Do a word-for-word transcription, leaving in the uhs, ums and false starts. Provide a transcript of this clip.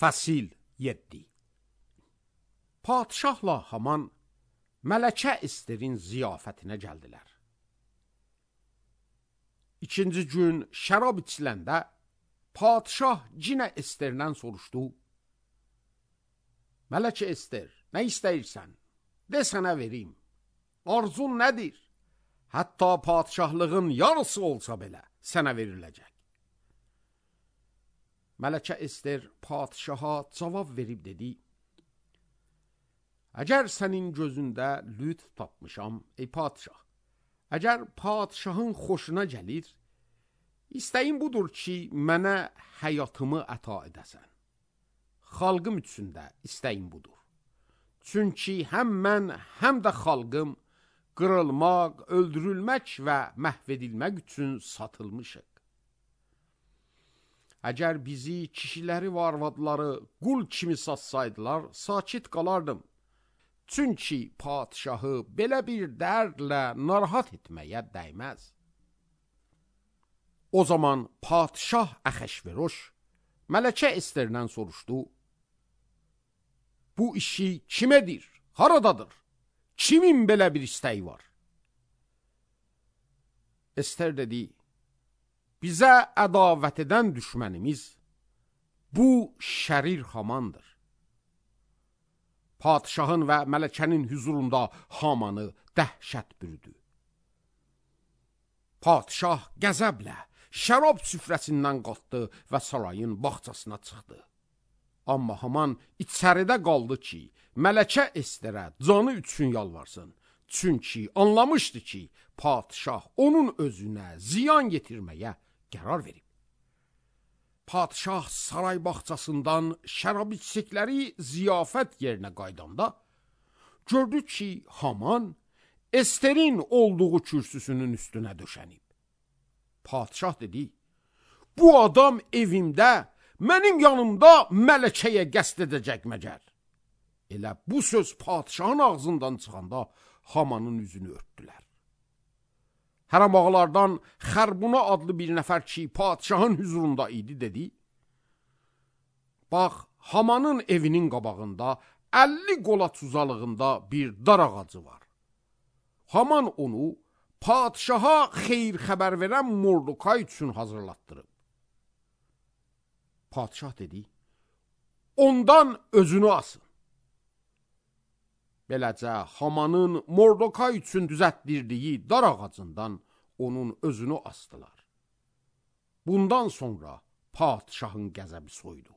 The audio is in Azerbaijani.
Fəsil yeddi. Padişahla Haman Mələkə Esterin ziyafətinə gəldilər. İkinci gün şərab içiləndə padişah cinə Esterdən soruşdu. Mələkə Ester, nə istəyirsən? De sənə verim. Arzun nədir? Hətta padişahlığın yarısı olsa belə sənə veriləcək. Mələkə Ester padişaha cavab verib dedi. Əgər sənin gözündə lütf tapmışam, ey padişah, əgər padişahın xoşuna gəlir, istəyim budur ki, mənə həyatımı əta edəsən. Xalqım üçün də istəyim budur. Çünki həm mən, həm də xalqım qırılmaq, öldürülmək və məhv edilmək üçün satılmışıq. Əgər bizi, kişiləri və arvadları qul kimi satsaydılar, sakit qalardım. Çünki padişahı belə bir dərdlə narahat etməyə dəyməz. O zaman padişah Əxəşveroş Mələkə Esterdən soruşdu. Bu işi kim edir? Haradadır? Kimin belə bir istəyi var? Ester dedi, bizə ədavət edən düşmənimiz bu şərir Hamandır. Padişahın və mələkənin hüzurunda Hamanı dəhşət bürüdü. Padişah qəzəblə şərab süfrəsindən qalxdı və sarayın bağçasına çıxdı. Amma Haman içəridə qaldı ki, Mələkə Esterə canı üçün yalvarsın. Çünki anlamışdı ki, padişah onun özünə ziyan yetirməyə qərar verib. Padişah saray bağçasından şərab içdikləri ziyafət yerinə qaydanda gördü ki, Haman Esterin olduğu kürsüsünün üstünə döşənib. Padişah dedi, bu adam evimdə, mənim yanımda mələkəyə qəsd edəcək məgər. Elə bu söz padişahın ağzından çıxanda Hamanın üzünü örtdülər. Hərəm ağalardan Xərbuna adlı bir nəfər ki, padişahın hüzurunda idi, dedi. Bax, Hamanın evinin qabağında əlli qolaq uzalığında bir dar ağacı var. Haman onu padişaha xeyir xəbər verən Mordokay üçün hazırlatdırıb. Padişah dedi, ondan özünü asın. Beləcə, Hamanın Mordokay üçün düzətdirdiyi dar ağacından onun özünü asdılar. Bundan sonra padişahın qəzəbi soydu.